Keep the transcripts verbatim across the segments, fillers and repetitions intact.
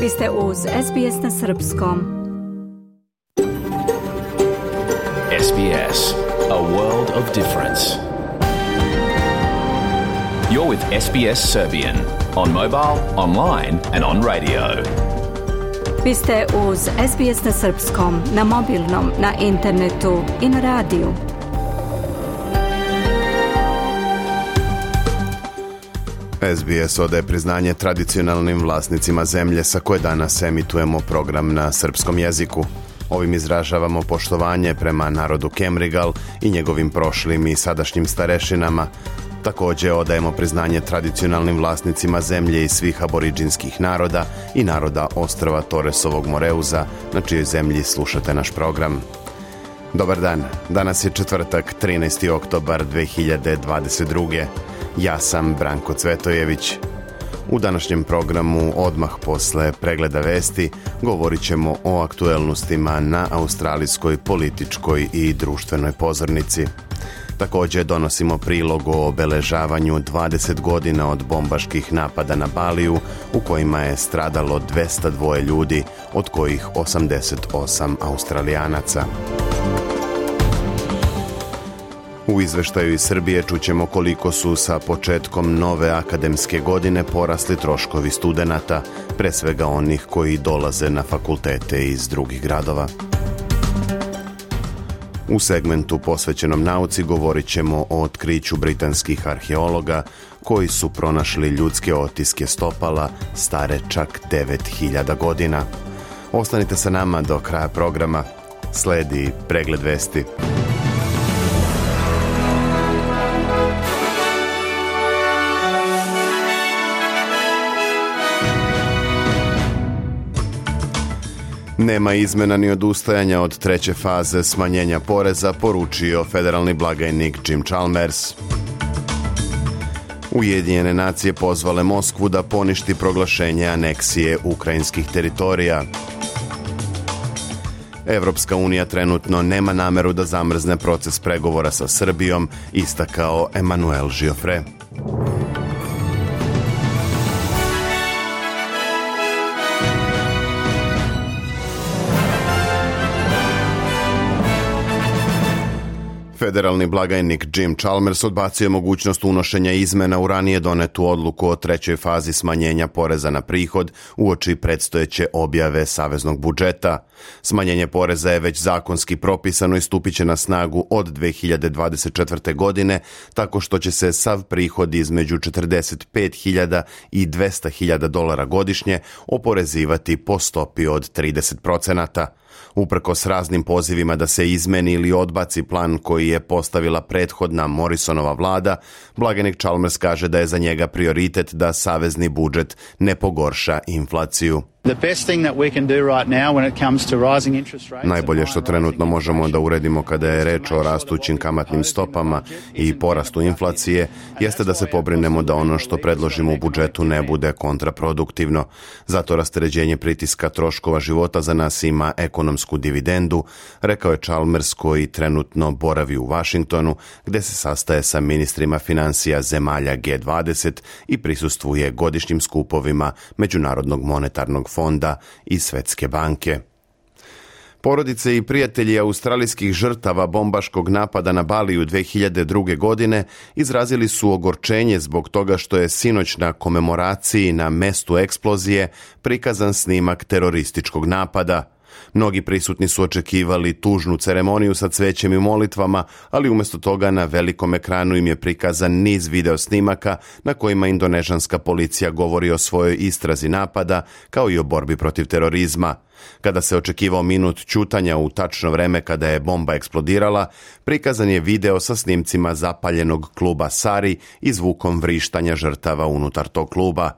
Vi ste uz S B S na srpskom. S B S, a world of difference. You're with S B S Serbian on mobile, online and on radio. Vi ste uz S B S na srpskom, na mobilnom, na internetu i na radiju. S B S odaje priznanje tradicionalnim vlasnicima zemlje sa koje danas emitujemo program na srpskom jeziku. Ovim izražavamo poštovanje prema narodu Kemrigal i njegovim prošlim i sadašnjim starešinama. Također odajemo priznanje tradicionalnim vlasnicima zemlje i svih aboriđinskih naroda i naroda ostrva Torresovog Moreuza, na čijoj zemlji slušate naš program. Dobar dan, danas je četvrtak, trinaesti oktobar dve hiljade dvadeset druge. Ja sam Branko Cvetojević. U današnjem programu, odmah posle pregleda vesti, govorit ćemo o aktuelnostima na australijskoj političkoj i društvenoj pozornici. Također donosimo prilog o obeležavanju dvadeset godina od bombaških napada na Baliju, u kojima je stradalo dvesta dva ljudi, od kojih osamdeset osam Australijanaca. U izveštaju iz Srbije čućemo koliko su sa početkom nove akademske godine porasli troškovi studenata, pre svega onih koji dolaze na fakultete iz drugih gradova. U segmentu posvećenom nauci govorit ćemo o otkriću britanskih arheologa koji su pronašli ljudske otiske stopala stare čak devet hiljada godina. Ostanite sa nama do kraja programa. Sledi pregled vesti. Nema izmena ni odustajanja od treće faze smanjenja poreza, poručio federalni blagajnik Jim Chalmers. Ujedinjene nacije pozvale Moskvu da poništi proglašenje aneksije ukrajinskih teritorija. Evropska unija trenutno nema nameru da zamrzne proces pregovora sa Srbijom, istakao Emmanuel Giuffre. Federalni blagajnik Jim Chalmers odbacio mogućnost unošenja izmena u ranije donetu odluku o trećoj fazi smanjenja poreza na prihod uoči predstojeće objave saveznog budžeta. Smanjenje poreza je već zakonski propisano i stupit će na snagu od dve hiljade dvadeset četvrte. godine, tako što će se sav prihod između četrdeset pet hiljada i dvesta hiljada dolara godišnje oporezivati po stopi od trideset procenata. Uprkos raznim pozivima da se izmeni ili odbaci plan koji je postavila prethodna Morrisonova vlada, blagajnik Chalmers kaže da je za njega prioritet da savezni budžet ne pogorša inflaciju. Najbolje što trenutno možemo da uredimo kada je reč o rastućim kamatnim stopama i porastu inflacije jeste da se pobrinemo da ono što predložimo u budžetu ne bude kontraproduktivno. Zato rasterećenje pritiska troškova života za nas ima ekonomsku dividendu, rekao je Chalmers koji trenutno boravi u Vašingtonu, gde se sastaje sa ministrima financija zemalja G dvadeset i prisustvuje godišnjim skupovima Međunarodnog monetarnog fonda i Svetske banke. Porodice i prijatelji australijskih žrtava bombaškog napada na Baliju dve hiljade druge. godine izrazili su ogorčenje zbog toga što je sinoć na komemoraciji na mestu eksplozije prikazan snimak terorističkog napada. Mnogi prisutni su očekivali tužnu ceremoniju sa cvećem i molitvama, ali umjesto toga na velikom ekranu im je prikazan niz video snimaka na kojima indonežanska policija govori o svojoj istrazi napada, kao i o borbi protiv terorizma. Kada se očekivao minut ćutanja u tačno vreme kada je bomba eksplodirala, prikazan je video sa snimcima zapaljenog kluba Sari i zvukom vrištanja žrtava unutar tog kluba.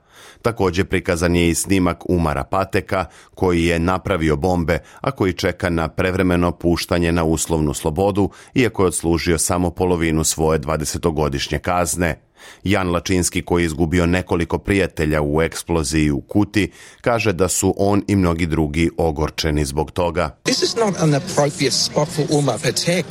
Također prikazan je i snimak Umara Pateka, koji je napravio bombe, a koji čeka na prevremeno puštanje na uslovnu slobodu, iako je odslužio samo polovinu svoje dvadesetogodišnje kazne. Jan Lačinski, koji je izgubio nekoliko prijatelja u eksploziji u Kuti, kaže da su on i mnogi drugi ogorčeni zbog toga. This is not an appropriate spot for Umar Patek.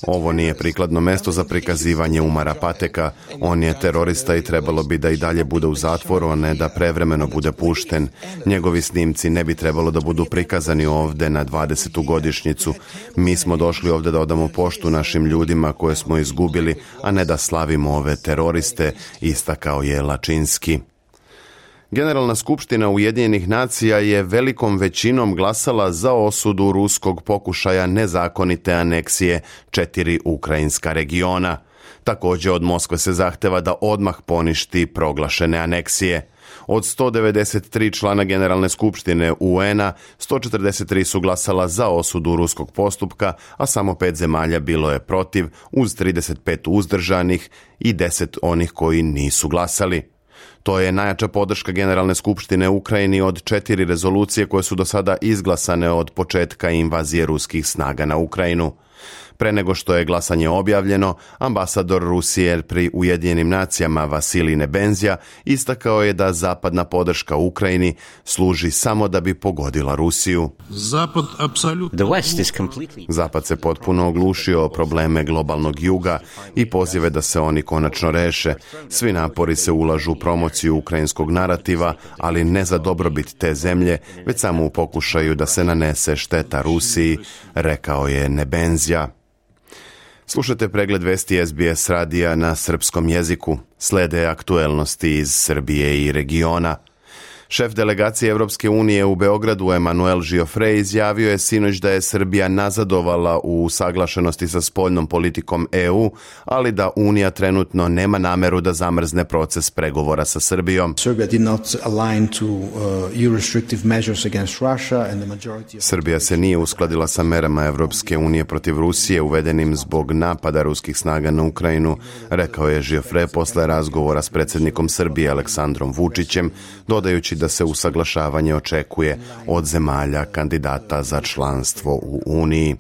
Ovo nije prikladno mesto za prikazivanje Umara Pateka. On je terorista i trebalo bi da i dalje bude u zatvoru, a ne da prevremeno bude pušten. Njegovi snimci ne bi trebalo da budu prikazani ovde na dvadesetu godišnjicu. Mi smo došli ovde da odamo poštu našim ljudima koje smo izgubili, a ne da slavimo ove teroriste, istakao je Lačinski. Generalna skupština Ujedinjenih nacija je velikom većinom glasala za osudu ruskog pokušaja nezakonite aneksije četiri ukrajinska regiona. Također od Moskve se zahteva da odmah poništi proglašene aneksije. Od sto devedeset tri člana Generalne skupštine U N-a, sto četrdeset tri su glasala za osudu ruskog postupka, a samo pet zemalja bilo je protiv, uz trideset pet uzdržanih i deset onih koji nisu glasali. To je najjača podrška Generalne skupštine Ukrajini od četiri rezolucije koje su do sada izglasane od početka invazije ruskih snaga na Ukrajinu. Pre nego što je glasanje objavljeno, ambasador Rusije pri Ujedinjenim nacijama Vasilij Nebenzija istakao je da zapadna podrška Ukrajini služi samo da bi pogodila Rusiju. Zapad, apsolutno. Zapad se potpuno oglušio o probleme globalnog juga i pozive da se oni konačno reše. Svi napori se ulažu u promociju ukrajinskog narativa, ali ne za dobrobit te zemlje, već samo u pokušaju da se nanese šteta Rusiji, rekao je Nebenzija. Slušajte pregled vesti S B S radija na srpskom jeziku. Slede aktuelnosti iz Srbije i regiona. Šef delegacije Evropske unije u Beogradu Emanuel Giofre izjavio je sinoć da je Srbija nazadovala u usaglašenosti sa spoljnom politikom E U, ali da Unija trenutno nema nameru da zamrzne proces pregovora sa Srbijom. Srbija se nije uskladila sa merama Evropske unije protiv Rusije uvedenim zbog napada ruskih snaga na Ukrajinu, rekao je Giofre posle razgovora s predsjednikom Srbije Aleksandrom Vučićem, dodajući da se usaglašavanje očekuje od zemalja kandidata za članstvo u Uniji.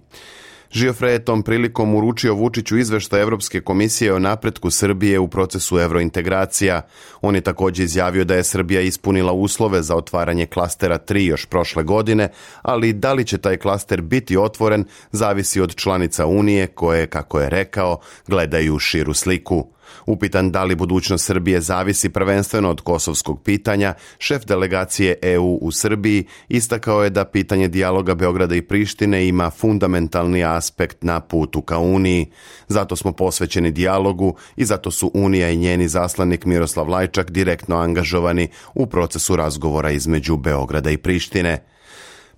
Giofre je tom prilikom uručio Vučiću izveštaj Evropske komisije o napretku Srbije u procesu evrointegracija. On je također izjavio da je Srbija ispunila uslove za otvaranje klastera tri još prošle godine, ali da li će taj klaster biti otvoren zavisi od članica Unije koje, kako je rekao, gledaju širu sliku. Upitan da li budućnost Srbije zavisi prvenstveno od kosovskog pitanja, šef delegacije E U u Srbiji istakao je da pitanje dijaloga Beograda i Prištine ima fundamentalni aspekt na putu ka Uniji. Zato smo posvećeni dijalogu i zato su Unija i njeni zaslanik Miroslav Lajčak direktno angažovani u procesu razgovora između Beograda i Prištine.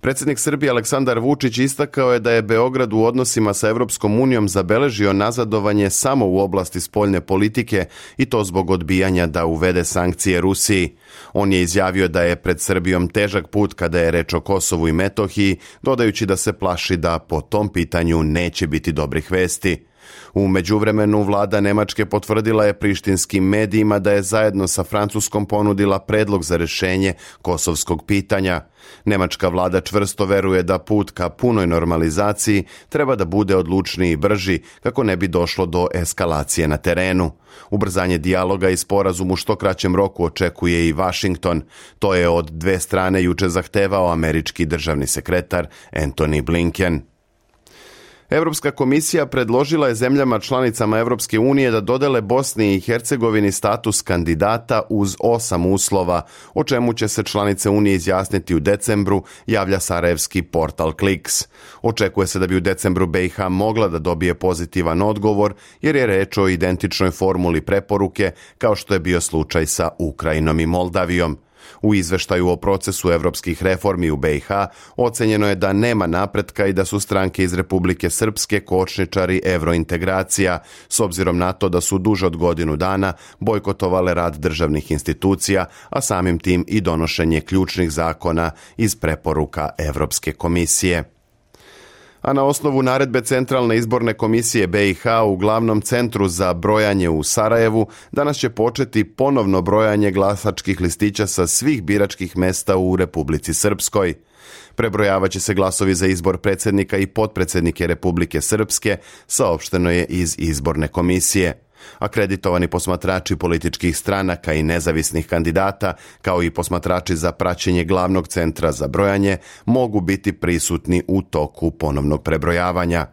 Predsjednik Srbije Aleksandar Vučić istakao je da je Beograd u odnosima sa Evropskom unijom zabeležio nazadovanje samo u oblasti spoljne politike i to zbog odbijanja da uvede sankcije Rusiji. On je izjavio da je pred Srbijom težak put kada je reč o Kosovu i Metohiji, dodajući da se plaši da po tom pitanju neće biti dobrih vesti. U međuvremenu vlada Nemačke potvrdila je prištinskim medijima da je zajedno sa Francuskom ponudila predlog za rješenje kosovskog pitanja. Nemačka vlada čvrsto veruje da put ka punoj normalizaciji treba da bude odlučniji i brži kako ne bi došlo do eskalacije na terenu. Ubrzanje dijaloga i sporazum u što kraćem roku očekuje i Washington. To je od dve strane juče zahtevao američki državni sekretar Antony Blinken. Evropska komisija predložila je zemljama članicama Evropske unije da dodele Bosni i Hercegovini status kandidata uz osam uslova, o čemu će se članice Unije izjasniti u decembru, javlja sarajevski portal Kliks. Očekuje se da bi u decembru B i H mogla da dobije pozitivan odgovor, jer je reč o identičnoj formuli preporuke, kao što je bio slučaj sa Ukrajinom i Moldavijom. U izveštaju o procesu evropskih reformi u B i H ocenjeno je da nema napretka i da su stranke iz Republike Srpske kočničari evrointegracija, s obzirom na to da su duže od godinu dana bojkotovale rad državnih institucija, a samim tim i donošenje ključnih zakona iz preporuka Evropske komisije. A na osnovu naredbe Centralne izborne komisije B i H u glavnom centru za brojanje u Sarajevu danas će početi ponovno brojanje glasačkih listića sa svih biračkih mesta u Republici Srpskoj. Prebrojavaće se glasovi za izbor predsjednika i potpredsjednike Republike Srpske, saopšteno je iz izborne komisije. Akreditovani posmatrači političkih stranaka i nezavisnih kandidata, kao i posmatrači za praćenje glavnog centra za brojanje, mogu biti prisutni u toku ponovnog prebrojavanja.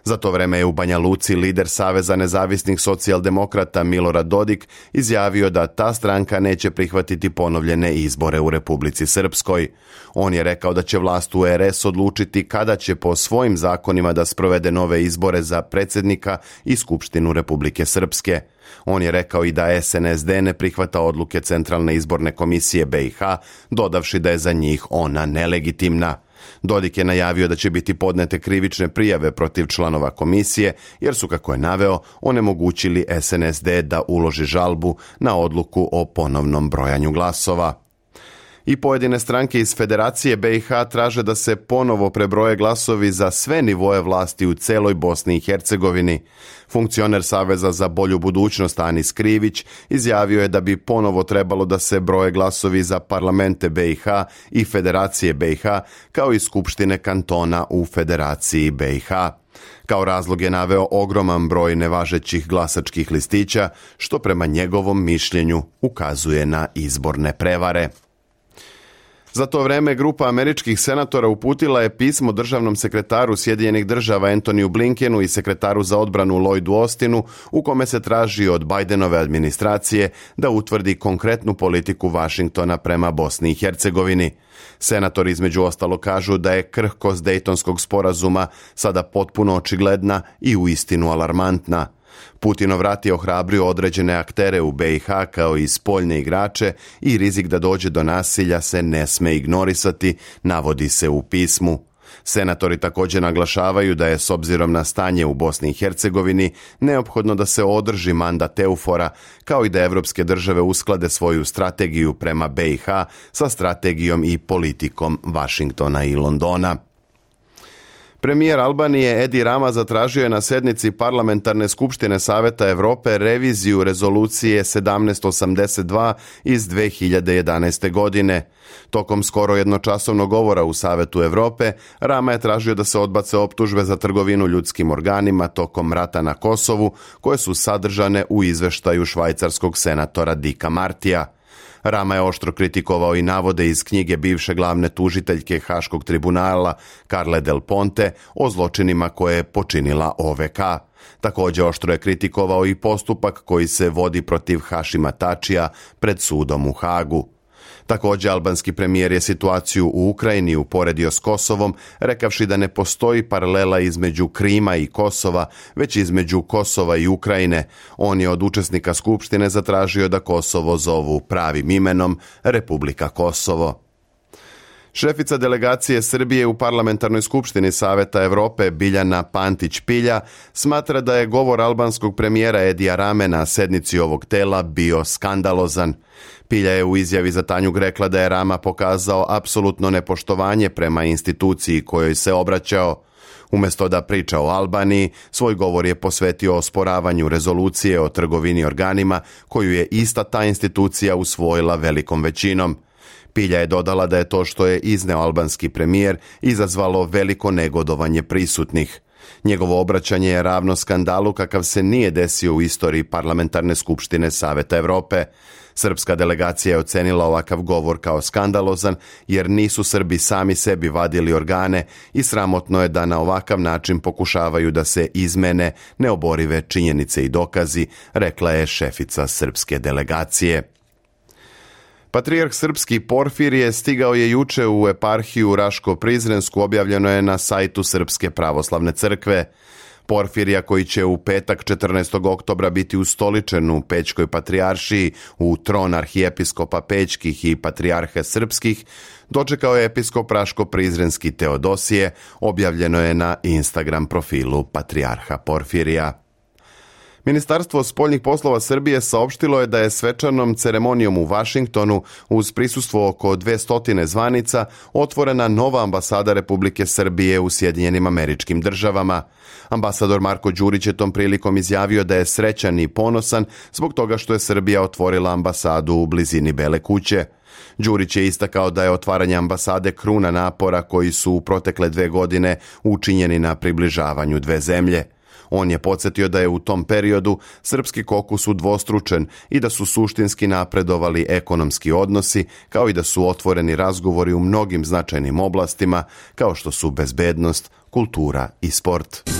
Za to vreme je u Banja Luci lider Saveza nezavisnih socijaldemokrata Milorad Dodik izjavio da ta stranka neće prihvatiti ponovljene izbore u Republici Srpskoj. On je rekao da će vlast u R S odlučiti kada će po svojim zakonima da sprovede nove izbore za predsjednika i Skupštinu Republike Srpske. On je rekao i da S N S D ne prihvata odluke Centralne izborne komisije B i H, dodavši da je za njih ona nelegitimna. Dodik je najavio da će biti podnete krivične prijave protiv članova komisije, jer su, kako je naveo, onemogućili S N S D da uloži žalbu na odluku o ponovnom brojanju glasova. I pojedine stranke iz Federacije B i H traže da se ponovo prebroje glasovi za sve nivoe vlasti u celoj Bosni i Hercegovini. Funkcioner Saveza za bolju budućnost Anis Krivić izjavio je da bi ponovo trebalo da se broje glasovi za parlamente B i H i Federacije B i H, kao i skupštine kantona u Federaciji B i H. Kao razlog je naveo ogroman broj nevažećih glasačkih listića, što prema njegovom mišljenju ukazuje na izborne prevare. Za to vreme grupa američkih senatora uputila je pismo državnom sekretaru Sjedinjenih država Antoniju Blinkenu i sekretaru za odbranu Lloydu Austinu, u kome se traži od Bidenove administracije da utvrdi konkretnu politiku Vašingtona prema Bosni i Hercegovini. Senatori između ostalo kažu da je krhkost Dejtonskog sporazuma sada potpuno očigledna i uistinu alarmantna. Putinov rat je ohrabrio određene aktere u B i H kao i spoljne igrače i rizik da dođe do nasilja se ne sme ignorisati, navodi se u pismu. Senatori također naglašavaju da je s obzirom na stanje u Bosni i Hercegovini neophodno da se održi mandat Eufora, kao i da evropske države usklade svoju strategiju prema B i H sa strategijom i politikom Vašingtona i Londona. Premijer Albanije Edi Rama zatražio je na sednici Parlamentarne skupštine Saveta Evrope reviziju rezolucije sedamnaest osamdeset dva iz dve hiljade jedanaeste. godine. Tokom skoro jednočasovnog govora u Savetu Evrope, Rama je tražio da se odbace optužbe za trgovinu ljudskim organima tokom rata na Kosovu, koje su sadržane u izveštaju švajcarskog senatora Dicka Martija. Rama je oštro kritikovao i navode iz knjige bivše glavne tužiteljke Haškog tribunala Carle Del Ponte o zločinima koje je počinila O V K. Također oštro je kritikovao i postupak koji se vodi protiv Hašima Tačija pred sudom u Hagu. Također, albanski premijer je situaciju u Ukrajini uporedio s Kosovom, rekavši da ne postoji paralela između Krima i Kosova, već između Kosova i Ukrajine. On je od učesnika skupštine zatražio da Kosovo zovu pravim imenom Republika Kosovo. Šefica delegacije Srbije u Parlamentarnoj skupštini Saveta Evrope Biljana Pantić-Pilja smatra da je govor albanskog premijera Edija Rame na sednici ovog tela bio skandalozan. Pilja je u izjavi za Tanjug rekla da je Rama pokazao apsolutno nepoštovanje prema instituciji kojoj se obraćao. Umjesto da priča o Albaniji, svoj govor je posvetio osporavanju rezolucije o trgovini organima koju je ista ta institucija usvojila velikom većinom. Pilja je dodala da je to što je izneo albanski premijer izazvalo veliko negodovanje prisutnih. Njegovo obraćanje je ravno skandalu kakav se nije desio u istoriji Parlamentarne skupštine Saveta Evrope. Srpska delegacija je ocenila ovakav govor kao skandalozan jer nisu Srbi sami sebi vadili organe i sramotno je da na ovakav način pokušavaju da se izmene neoborive činjenice i dokazi, rekla je šefica srpske delegacije. Patrijarh srpski Porfirije stigao je juče u eparhiju Raško-Prizrensku, objavljeno je na sajtu Srpske pravoslavne crkve. Porfirija, koji će u petak četrnaestog oktobra biti ustoličen u Pećkoj patrijaršiji u tron arhijepiskopa Pećkih i patrijarhe srpskih, dočekao je episkop Raško-Prizrenski Teodosije, objavljeno je na Instagram profilu patrijarha Porfirija. Ministarstvo spoljnih poslova Srbije saopštilo je da je svečanom ceremonijom u Vašingtonu uz prisustvo oko dvesta zvanica otvorena nova ambasada Republike Srbije u Sjedinjenim Američkim Državama. Ambasador Marko Đurić je tom prilikom izjavio da je srećan i ponosan zbog toga što je Srbija otvorila ambasadu u blizini Bele kuće. Đurić je istakao da je otvaranje ambasade kruna napora koji su u protekle dve godine učinjeni na približavanju dve zemlje. On je podsjetio da je u tom periodu srpski kokus udvostručen i da su suštinski napredovali ekonomski odnosi, kao i da su otvoreni razgovori u mnogim značajnim oblastima, kao što su bezbednost, kultura i sport.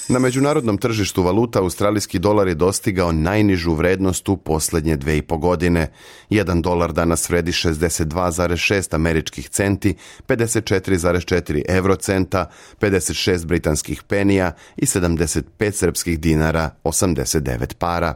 Na međunarodnom tržištu valuta australijski dolar je dostigao najnižu vrednost u posljednje dve i po godine. Jedan dolar danas vredi šezdeset dva zarez šest američkih centi, pedeset četiri zarez četiri eurocenta, pedeset šest britanskih penija i sedamdeset pet srpskih dinara, osamdeset devet para.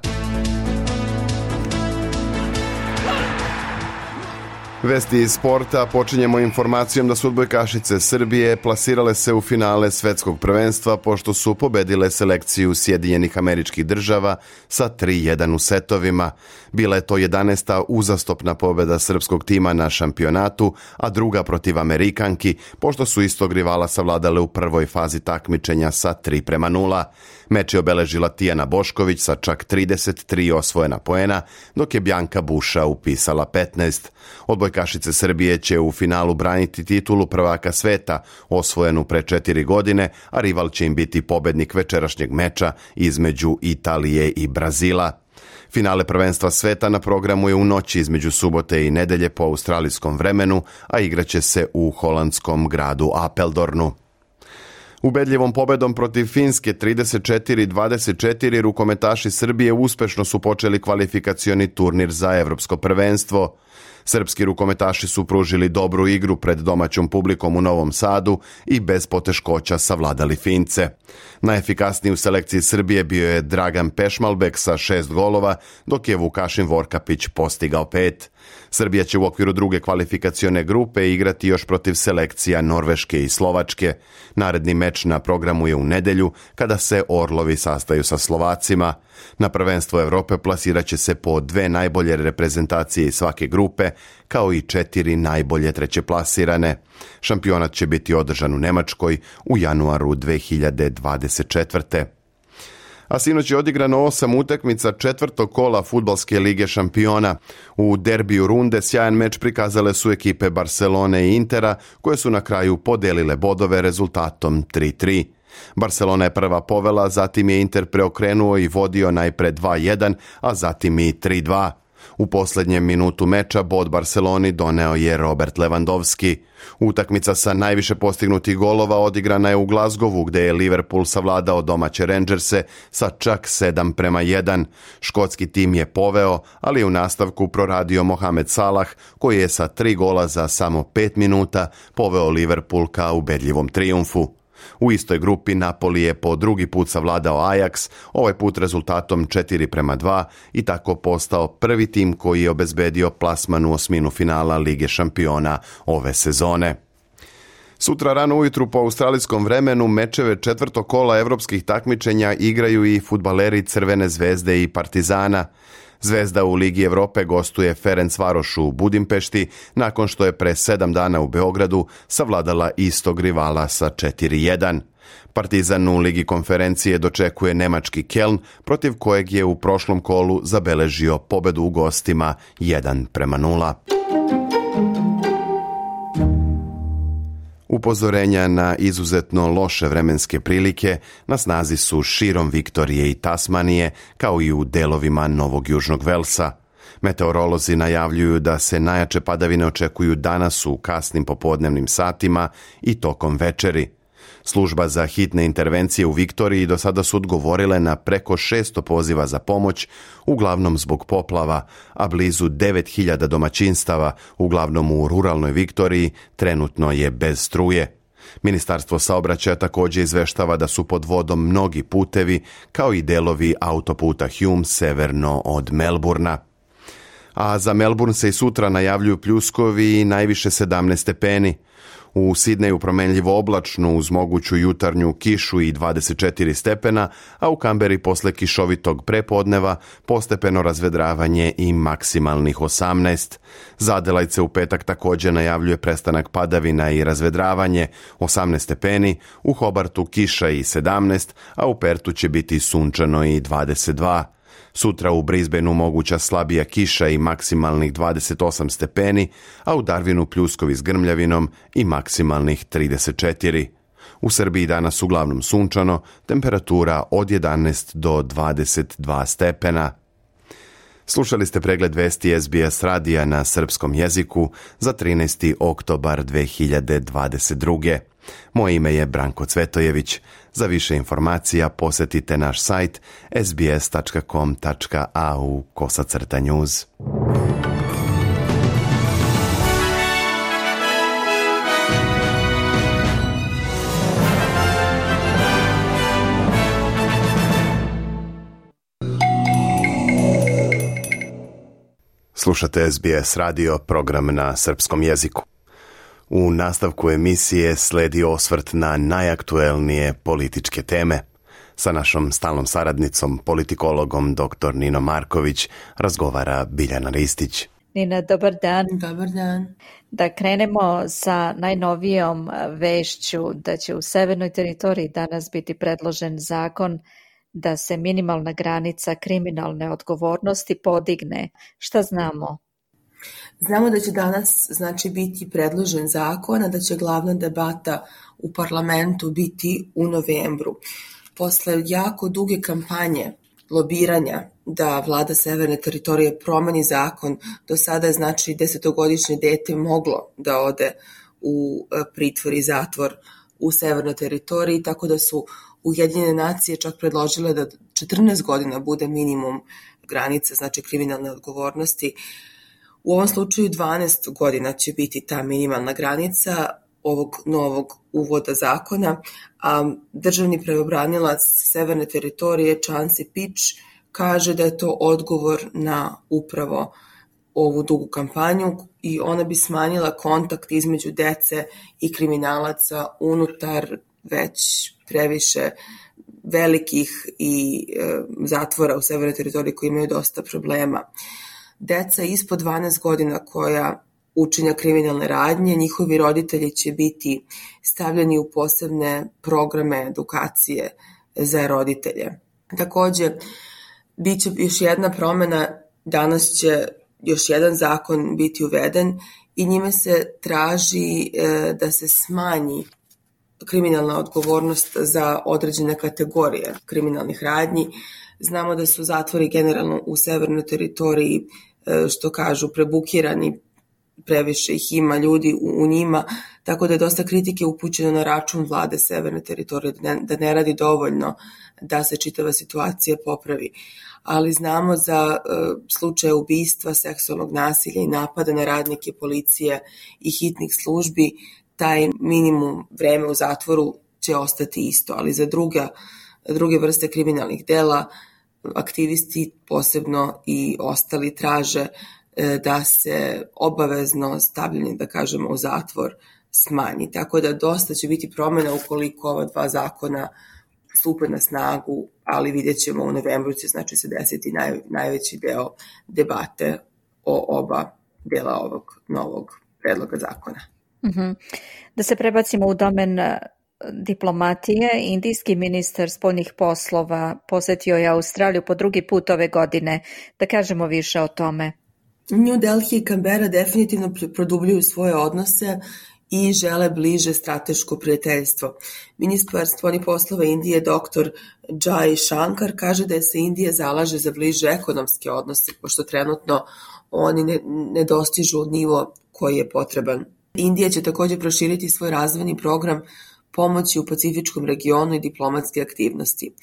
Vesti iz sporta. Počinjemo informacijom da su odbojkašice Srbije plasirale se u finale svetskog prvenstva pošto su pobedile selekciju Sjedinjenih Američkih Država sa tri jedan u setovima. Bila je to jedanaesta uzastopna pobeda srpskog tima na šampionatu, a druga protiv Amerikanki, pošto su istog rivala savladale u prvoj fazi takmičenja sa tri prema nula. Meč je obeležila Tijana Bošković sa čak trideset tri osvojena poena, dok je Bjanka Buša upisala petnaest. Odbojkašice Srbije će u finalu braniti titulu prvaka sveta, osvojenu pre četiri godine, a rival će im biti pobednik večerašnjeg meča između Italije i Brazila. Finale prvenstva sveta na programu je u noći između subote i nedelje po australijskom vremenu, a igraće se u holandskom gradu Apeldornu. Ubedljivom pobedom protiv Finske trideset četiri dvadeset četiri rukometaši Srbije uspešno su počeli kvalifikacioni turnir za evropsko prvenstvo. Srpski rukometaši su pružili dobru igru pred domaćom publikom u Novom Sadu i bez poteškoća savladali Fince. Najefikasniji u selekciji Srbije bio je Dragan Pešmalbek sa šest golova, dok je Vukašin Vorkapić postigao pet. Srbija će u okviru druge kvalifikacione grupe igrati još protiv selekcija Norveške i Slovačke. Naredni meč na programu je u nedelju, kada se Orlovi sastaju sa Slovacima. Na prvenstvo Evrope plasirat će se po dve najbolje reprezentacije iz svake grupe, kao i četiri najbolje treće plasirane. Šampionat će biti održan u Nemačkoj u januaru dve hiljade dvadeset četvrte. A sinoć je odigrano osam utakmica četvrtog kola Fudbalske lige šampiona. U derbiju runde sjajan meč prikazale su ekipe Barcelone i Intera, koje su na kraju podelile bodove rezultatom tri tri. Barcelona je prva povela, zatim je Inter preokrenuo i vodio najpre dva jedan, a zatim i tri dva. U posljednjem minutu meča bod Barceloni doneo je Robert Lewandowski. Utakmica sa najviše postignutih golova odigrana je u Glasgowu, gde je Liverpool savladao domaće Rangerse sa čak sedam prema jedan. Škotski tim je poveo, ali je u nastavku proradio Mohamed Salah, koji je sa tri gola za samo pet minuta poveo Liverpool ka ubedljivom trijumfu. U istoj grupi Napoli je po drugi put savladao Ajax, ovaj put rezultatom četiri prema dva i tako postao prvi tim koji je obezbedio plasman u osminu finala Lige šampiona ove sezone. Sutra rano ujutru po australijskom vremenu mečeve četvrtog kola evropskih takmičenja igraju i fudbaleri Crvene zvezde i Partizana. Zvezda u Ligi Evrope gostuje Ferencvaroš u Budimpešti nakon što je pre sedam dana u Beogradu savladala istog rivala sa četiri jedan. Partizan u Ligi konferencije dočekuje nemački Keln, protiv kojeg je u prošlom kolu zabeležio pobedu u gostima jedan prema nula. Upozorenja na izuzetno loše vremenske prilike na snazi su širom Viktorije i Tasmanije, kao i u delovima Novog Južnog Velsa. Meteorolozi najavljuju da se najjače padavine očekuju danas u kasnim popodnevnim satima i tokom večeri. Služba za hitne intervencije u Viktoriji do sada su odgovorile na preko šesto poziva za pomoć, uglavnom zbog poplava, a blizu devet hiljada domaćinstava, uglavnom u ruralnoj Viktoriji, trenutno je bez struje. Ministarstvo saobraćaja također izveštava da su pod vodom mnogi putevi, kao i delovi autoputa Hume severno od Melburna. A za Melbourne se i sutra najavljuju pljuskovi i najviše sedamnaest stepeni. U Sidneju promenljivo oblačno uz moguću jutarnju kišu i dvadeset četiri stepena, a u Kamberi posle kišovitog prepodneva postepeno razvedravanje i maksimalnih osamnaest. Za Adelajce u petak također najavljuje prestanak padavina i razvedravanje, osamnaest stepeni, u Hobartu kiša i sedamnaest, a u Pertu će biti sunčano i dvadeset dva. Sutra u Brisbaneu moguća slabija kiša i maksimalnih dvadeset osam stepeni, a u Darwinu pljuskovi s grmljavinom i maksimalnih trideset četiri. U Srbiji danas uglavnom sunčano, temperatura od jedanaest do dvadeset dva stepena. Slušali ste pregled vesti S B S radija na srpskom jeziku za trinaesti oktobar dve hiljade dvadeset druge. Moje ime je Branko Cvetojević. Za više informacija posjetite naš sajt es bi es tačka com tačka a u kosacrta news. Slušate es bi es radio, program na srpskom jeziku. U nastavku emisije sledi osvrt na najaktuelnije političke teme. Sa našom stalnom saradnicom, politikologom doktor Ninom Marković, razgovara Biljana Ristić. Nina, dobar dan. Dobar dan. Da krenemo sa najnovijom vešću da će u severnoj teritoriji danas biti predložen zakon da se minimalna granica kriminalne odgovornosti podigne. Šta znamo? Znamo da će danas znači biti predložen zakon, a da će glavna debata u parlamentu biti u novembru. Posle jako duge kampanje lobiranja da vlada severne teritorije promeni zakon, do sada je znači desetogodišnje dete moglo da ode u pritvor i zatvor u severnoj teritoriji, tako da su Ujedinjene nacije čak predložile da četrnaest godina bude minimum granica, znači kriminalne odgovornosti. U ovom slučaju dvanaest godina će biti ta minimalna granica ovog novog uvoda zakona, a državni pravobranilac severne teritorije Chancy Pitch kaže da je to odgovor na upravo ovu dugu kampanju i ona bi smanjila kontakt između dece i kriminalaca unutar već previše velikih i e, zatvora u severnoj teritoriji koji imaju dosta problema. Deca ispod dvanaest godina koja učinja kriminalne radnje, njihovi roditelji će biti stavljeni u posebne programe edukacije za roditelje. Takođe, bit će još jedna promena, danas će još jedan zakon biti uveden i njime se traži e, da se smanji kriminalna odgovornost za određene kategorije kriminalnih radnji. Znamo da su zatvori generalno u severnoj teritoriji, što kažu, prebukirani, previše ih ima ljudi u, u njima, tako da je dosta kritike upućeno na račun vlade severne teritorije, da ne, da ne radi dovoljno da se čitava situacija popravi. Ali znamo za uh, slučaje ubistva, seksualnog nasilja i napada na radnike policije i hitnih službi, taj minimum vreme u zatvoru će ostati isto, ali za druga, druge vrste kriminalnih dela aktivisti posebno i ostali traže da se obavezno stavljanje, da kažemo, u zatvor smanji. Tako da dosta će biti promjena ukoliko ova dva zakona stupe na snagu, ali vidjet ćemo u novembru će znači se desiti naj, najveći deo debate o oba dela ovog novog predloga zakona. Uh-huh. Da se prebacimo u domen diplomatije, indijski ministar spoljnih poslova posetio je Australiju po drugi put ove godine. Da kažemo više o tome. New Delhi i Canberra definitivno produbljuju svoje odnose i žele bliže strateško prijateljstvo. Ministar spoljnih poslova Indije doktor Jai Shankar kaže da se Indija zalaže za bliže ekonomske odnose, pošto trenutno oni ne, ne dostižu nivo koji je potreban. Indija će također proširiti svoj razvojni program pomoći u pacifičkom regionu i diplomatske aktivnosti.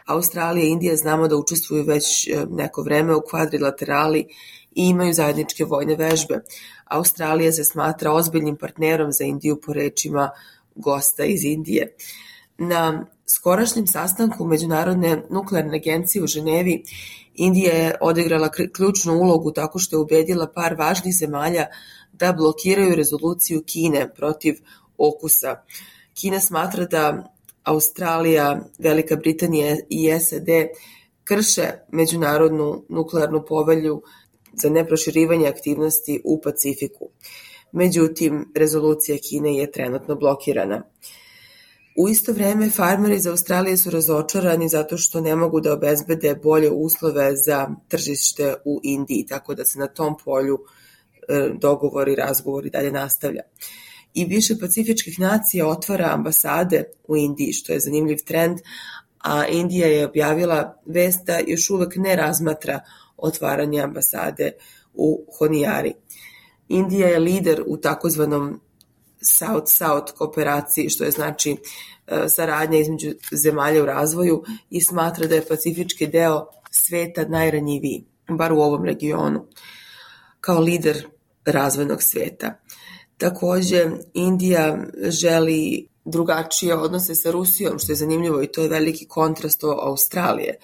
Australija i Indija znamo da učestvuju već neko vreme u kvadrilaterali i imaju zajedničke vojne vežbe. Australija se smatra ozbiljnim partnerom za Indiju po rečima gosta iz Indije. Na skorašnjem sastanku Međunarodne nuklearne agencije u Ženevi Indija je odigrala ključnu ulogu tako što je ubedila par važnih zemalja da blokiraju rezoluciju Kine protiv okusa. Kina smatra da Australija, Velika Britanija i S A D krše Međunarodnu nuklearnu povelju za neproširivanje aktivnosti u Pacifiku. Međutim, rezolucija Kine je trenutno blokirana. U isto vreme, farmeri iz Australije su razočarani zato što ne mogu da obezbede bolje uslove za tržište u Indiji, tako da se na tom polju dogovori, razgovori dalje nastavlja. I više pacifičkih nacija otvara ambasade u Indiji, što je zanimljiv trend, a Indija je objavila vest da još uvek ne razmatra otvaranje ambasade u Honijari. Indija je lider u takozvanom South-South kooperaciji, što je znači saradnja između zemalja u razvoju, i smatra da je pacifički deo sveta najranjiviji, bar u ovom regionu, kao lider razvojnog sveta. Takođe, Indija želi drugačije odnose sa Rusijom, što je zanimljivo, i to je veliki kontrast od Australije.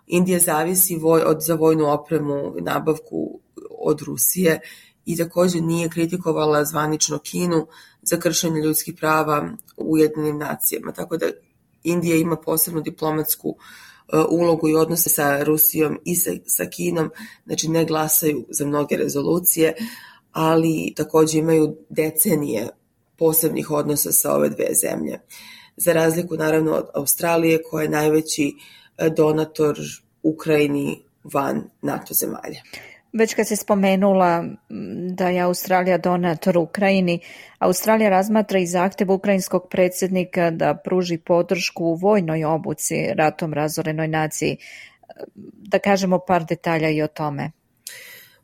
Indija zavisi voj, od, za vojnu opremu i nabavku od Rusije i takođe nije kritikovala zvanično Kinu za kršenje ljudskih prava u Ujedinjenim nacijama. Tako da Indija ima posebnu diplomatsku uh, ulogu i odnose sa Rusijom i sa, sa Kinom, znači ne glasaju za mnoge rezolucije, ali takođe imaju decenije posebnih odnosa sa ove dve zemlje. Za razliku naravno od Australije, koja je najveći donator Ukrajini van NATO zemalja. Već kad se spomenula da je Australija donator Ukrajini, Australija razmatra i zahtev ukrajinskog predsjednika da pruži podršku u vojnoj obuci ratom razorenoj naciji. Da kažemo par detalja i o tome.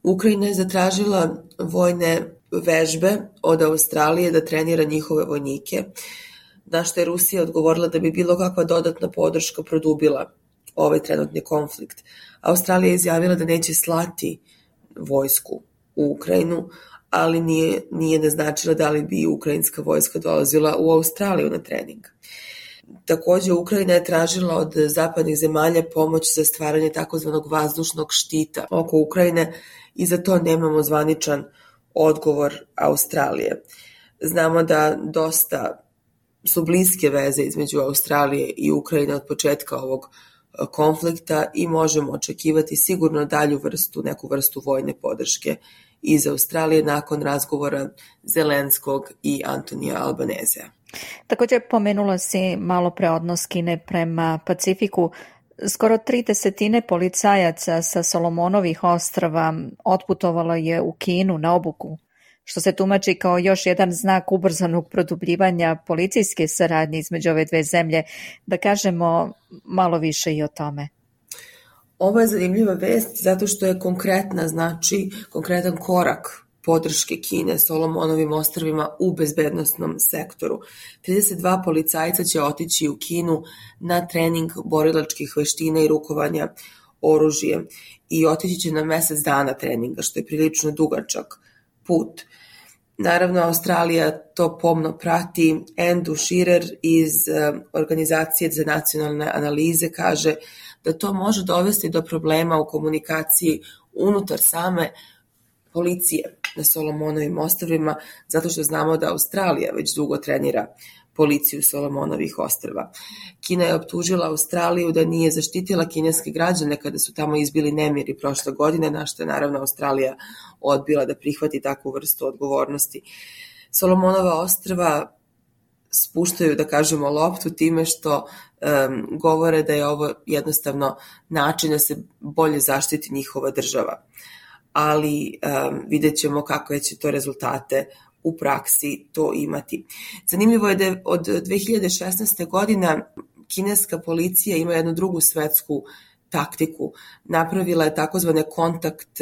Ukrajina je zatražila vojne vežbe od Australije da trenira njihove vojnike, na što je Rusija odgovorila da bi bilo kakva dodatna podrška produbila ovaj trenutni konflikt. Australija je izjavila da neće slati vojsku u Ukrajinu, ali nije, nije naznačila da li bi ukrajinska vojska dolazila u Australiju na trening. Takođe, Ukrajina je tražila od zapadnih zemalja pomoć za stvaranje takozvanog vazdušnog štita oko Ukrajine i za to nemamo zvaničan odgovor Australije. Znamo da dosta su bliske veze između Australije i Ukrajine od početka ovog konflikta i možemo očekivati sigurno dalju vrstu, neku vrstu vojne podrške iz Australije nakon razgovora Zelenskog i Antonija Albanezea. Također pomenula si malo pre odnos Kine prema Pacifiku. Skoro tri desetine policajaca sa Solomonovih ostrava otputovalo je u Kinu na obuku, što se tumači kao još jedan znak ubrzanog produbljivanja policijske saradnje između ove dve zemlje. Da kažemo malo više i o tome. Ovo je zanimljiva vest zato što je konkretna, znači konkretan korak podrške Kine Solomonovim ostrvima u bezbednosnom sektoru. trideset dva policajca će otići u Kinu na trening borilačkih veština i rukovanja oružjem i otići će na mesec dana treninga, što je prilično dugačak put. Naravno, Australija to pomno prati. Andrew Shearer iz Organizacije za nacionalne analize kaže da to može dovesti do problema u komunikaciji unutar same policije na Solomonovim ostrvima, zato što znamo da Australija već dugo trenira policiju Solomonovih ostrva. Kina je optužila Australiju da nije zaštitila kineske građane kada su tamo izbili nemiri prošle godine, na što je naravno Australija odbila da prihvati takvu vrstu odgovornosti. Solomonova ostrva spuštaju, da kažemo, loptu time što um, govore da je ovo jednostavno način da se bolje zaštiti njihova država. Ali um, vidjet ćemo kakve će to rezultate u praksi to imati. Zanimljivo je da od dve hiljade šesnaeste. godina kineska policija ima jednu drugu svetsku taktiku. Napravila je takozvane kontakt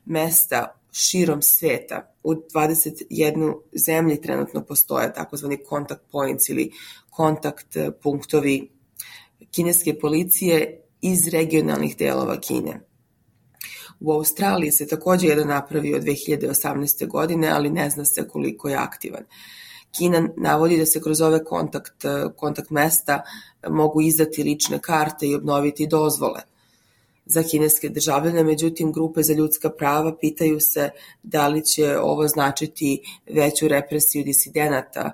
mesta širom sveta. U dvadeset jednoj zemlji trenutno postoje takozvani contact points ili kontakt punktovi kineske policije iz regionalnih delova Kine. U Australiji se takođe jedan napravio dve hiljade osamnaeste. godine, ali ne zna se koliko je aktivan. Kina navodi da se kroz ove kontakt, kontakt mesta mogu izdati lične karte i obnoviti dozvole za kineske državljane, međutim grupe za ljudska prava pitaju se da li će ovo značiti veću represiju disidenata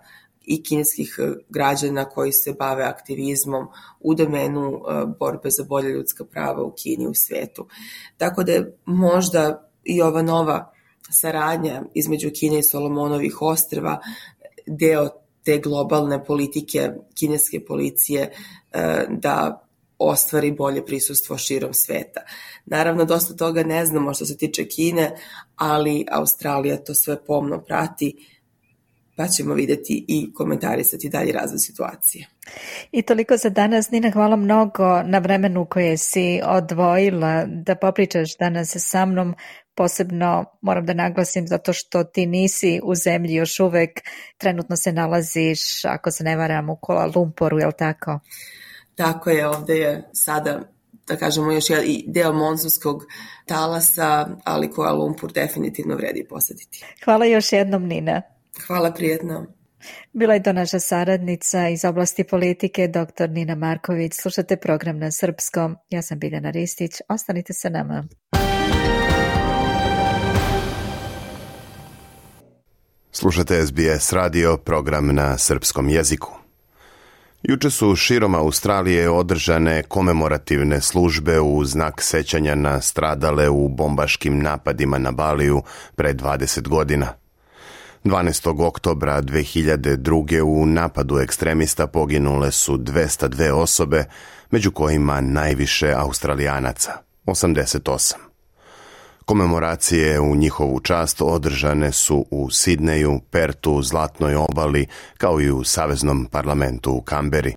i kineskih građana koji se bave aktivizmom u domenu borbe za bolje ljudska prava u Kini i u svetu. Tako da je možda i ova nova saradnja između Kine i Solomonovih ostrva deo te globalne politike kineske policije da ostvari bolje prisustvo širom sveta. Naravno, dosta toga ne znamo što se tiče Kine, ali Australija to sve pomno prati. pa ćemo vidjeti i komentarisati dalje razvoj situacije. I toliko za danas. Nina, hvala mnogo na vremenu koje si odvojila da popričaš danas sa mnom. Posebno moram da naglasim zato što ti nisi u zemlji još uvek. Trenutno se nalaziš, ako se ne varam, u Kuala Lumporu, je li tako? Tako je, ovde je sada, da kažemo, još i deo monsunskog talasa, ali Kuala Lumpur definitivno vredi posetiti. Hvala još jednom, Nina. Hvala, prijetno. Bila je to naša saradnica iz oblasti politike, doktor Nina Marković. Slušate program na srpskom. Ja sam Biljana Ristić. Ostanite sa nama. Slušate S B S radio, program na srpskom jeziku. Juče su širom Australije održane komemorativne službe u znak sećanja na stradale u bombaškim napadima na Baliju pre dvadeset godina. dvanaestog oktobra dve hiljade druge. u napadu ekstremista poginule su dvesta dve osobe, među kojima najviše Australijanaca, osamdeset osam. Komemoracije u njihovu čast održane su u Sidneju, Pertu, Zlatnoj obali, kao i u Saveznom parlamentu u Kamberi.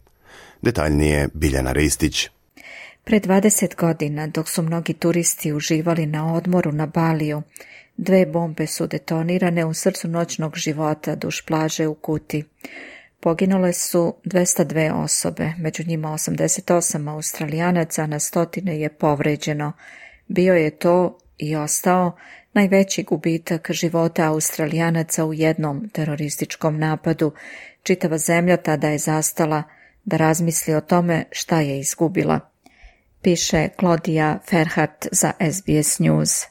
Detaljnije Biljana Ristić. Pre dvadeset godina, dok su mnogi turisti uživali na odmoru na Baliju, dve bombe su detonirane u srcu noćnog života duž plaže u Kuti. Poginule su dvesta dve osobe, među njima osamdeset osam Australijanaca, na stotine je povređeno. Bio je to i ostao najveći gubitak života Australijanaca u jednom terorističkom napadu. Čitava zemlja tada je zastala da razmisli o tome šta je izgubila. Piše Claudia Ferhat za S B S News.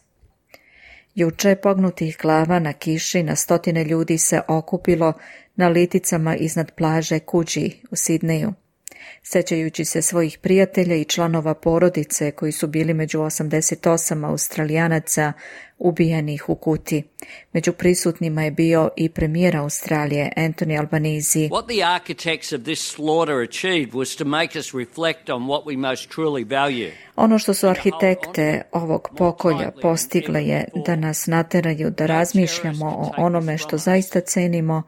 Juče pognutih glava na kiši na stotine ljudi se okupilo na liticama iznad plaže Kuđi u Sidneju. Sećajući se svojih prijatelja i članova porodice koji su bili među osamdeset osam Australijanaca ubijenih u Kuti. Među prisutnima je bio i premijer Australije Anthony Albanese. What the architects of this slaughter achieved was to make us reflect on what we most truly value. Ono što su arhitekte ovog pokolja postigle je da nas nateraju da razmišljamo o onome što zaista cenimo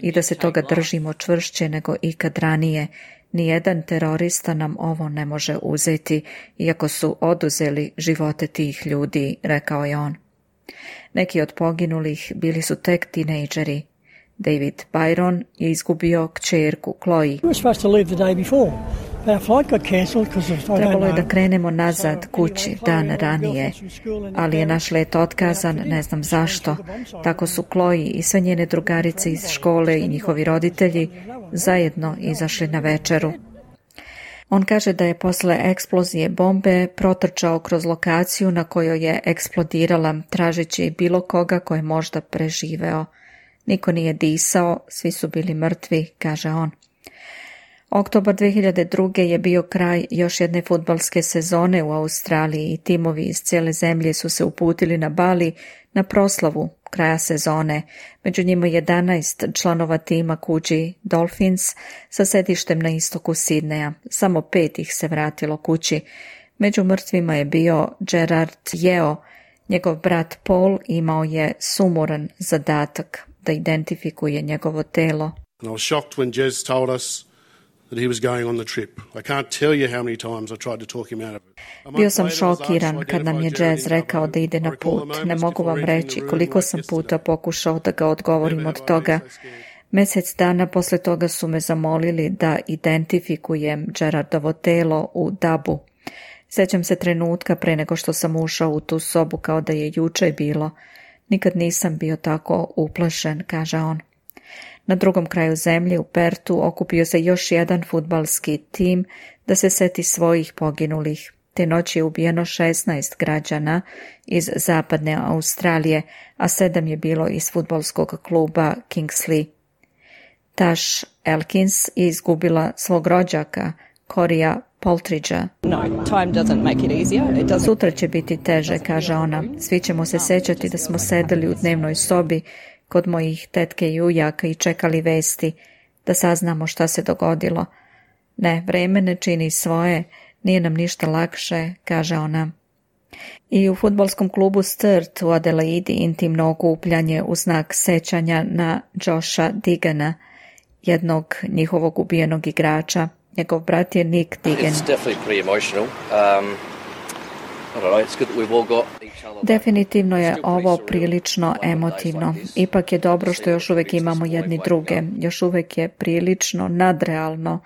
i da se toga držimo čvršće nego ikad ranije. Nijedan terorista nam ovo ne može uzeti, iako su oduzeli živote tih ljudi, rekao je on. Neki od poginulih bili su tek tinejdžeri. David Byron je izgubio kćerku Chloe. Trebalo je da krenemo nazad kući dan ranije, ali je naš let otkazan, ne znam zašto. Tako su Chloe i sve njene drugarice iz škole i njihovi roditelji zajedno izašli na večeru. On kaže da je posle eksplozije bombe protrčao kroz lokaciju na kojoj je eksplodirala, tražeći bilo koga ko je možda preživeo. Niko nije disao, svi su bili mrtvi, kaže on. Oktobar dve hiljade druge. je bio kraj još jedne fudbalske sezone u Australiji i timovi iz cijele zemlje su se uputili na Bali na proslavu kraja sezone. Među njima jedanaest članova tima Kuđi Dolphins sa sedištem na istoku Sidneja. Samo pet ih se vratilo kući. Među mrtvima je bio Gerard Yeo. Njegov brat Paul imao je sumuran zadatak da identifikuje njegovo telo. I was shocked when Jez told us that he was going on the trip. I can't tell you how many times I tried to talk him out of it. Bio sam šokiran kad nam je Jez rekao da ide na put. Ne mogu vam reći koliko sam puta pokušao da ga odgovorim od toga. Mjesec dana posle toga su me zamolili da identifikujem Gerardovo telo u Dabu. Sjećam se trenutka pre nego što sam ušao u tu sobu kao da je juče bilo. Nikad nisam bio tako uplašen, kaže on. Na drugom kraju zemlje u Pertu okupio se još jedan fudbalski tim da se seti svojih poginulih. Te noći je ubijeno šesnaest građana iz zapadne Australije, a sedam je bilo iz fudbalskog kluba Kingsley. Tash Elkins je izgubila svog rođaka, Corija Poltridgea. No, time doesn't make it easier. It doesn't... Sutra će biti teže, kaže ona. Svi ćemo se sećati da smo sedeli u dnevnoj sobi kod mojih tetke i ujaka i čekali vesti, da saznamo šta se dogodilo. Ne, vreme ne čini svoje, nije nam ništa lakše, kaže ona. I u fudbalskom klubu Sturt u Adelaidi intimno okupljanje u znak sećanja na Josha Digana, jednog njihovog ubijenog igrača. Njegov brat je Nick Digan. Definitivno je ovo prilično emotivno. Ipak je dobro što još uvijek imamo jedni druge. Još uvijek je prilično nadrealno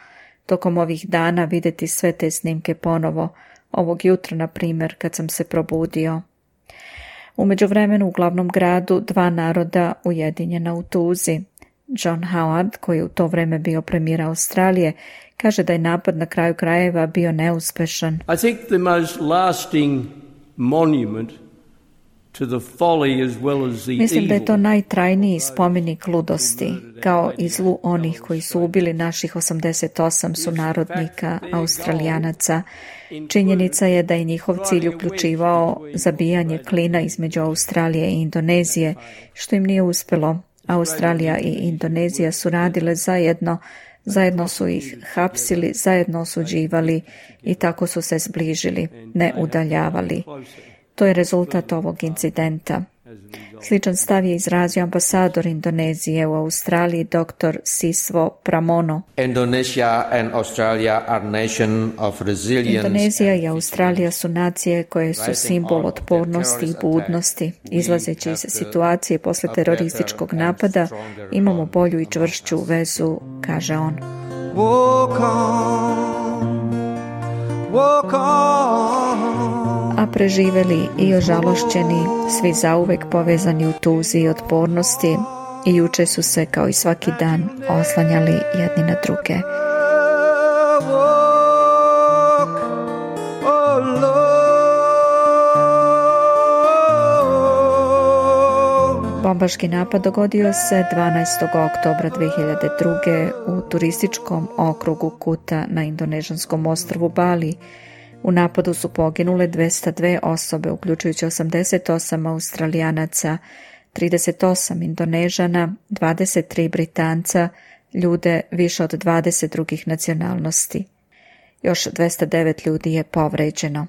tokom ovih dana vidjeti sve te snimke ponovo. Ovog jutra, na primjer, kad sam se probudio. U međuvremenu u glavnom gradu dva naroda ujedinjena u tuzi. John Howard, koji je u to vrijeme bio premijer Australije, kaže da je napad na kraju krajeva bio neuspešan. I think the most lasting monument to the folly as well as the Mislim da je to evil. najtrajniji spomenik ludosti, kao i zlu onih koji su ubili naših osamdeset osam sunarodnika Australijanaca. Činjenica je da je njihov cilj uključivao zabijanje klina između Australije i Indonezije, što im nije uspjelo. Australija i Indonezija su radile zajedno, zajedno su ih hapsili, zajedno osuđivali i tako su se zbližili, ne udaljavali. To je rezultat ovog incidenta. Sličan stav je izrazio ambasador Indonezije u Australiji dr. Siswo Pramono. Indonesia and Australia are nation of resilience. Indonezija i Australija su nacije koje su simbol otpornosti i budnosti. Izlazeći iz situacije posle terorističkog napada, imamo bolju i čvršću vezu, kaže on. Walk on, walk on. A preživeli i ožalošćeni, svi zauvek povezani u tuzi i otpornosti, i juče su se, kao i svaki dan, oslanjali jedni na druge. Bombaški napad dogodio se dvanaestog oktobra dve hiljade druge. u turističkom okrugu Kuta na indonežanskom ostrvu Bali. U napadu su poginule dvesta dve osobe, uključujući osamdeset osam Australijanaca, trideset osam Indonežana, dvadeset tri Britanca, ljude više od dvadeset drugih nacionalnosti. Još dvesta devet ljudi je povređeno.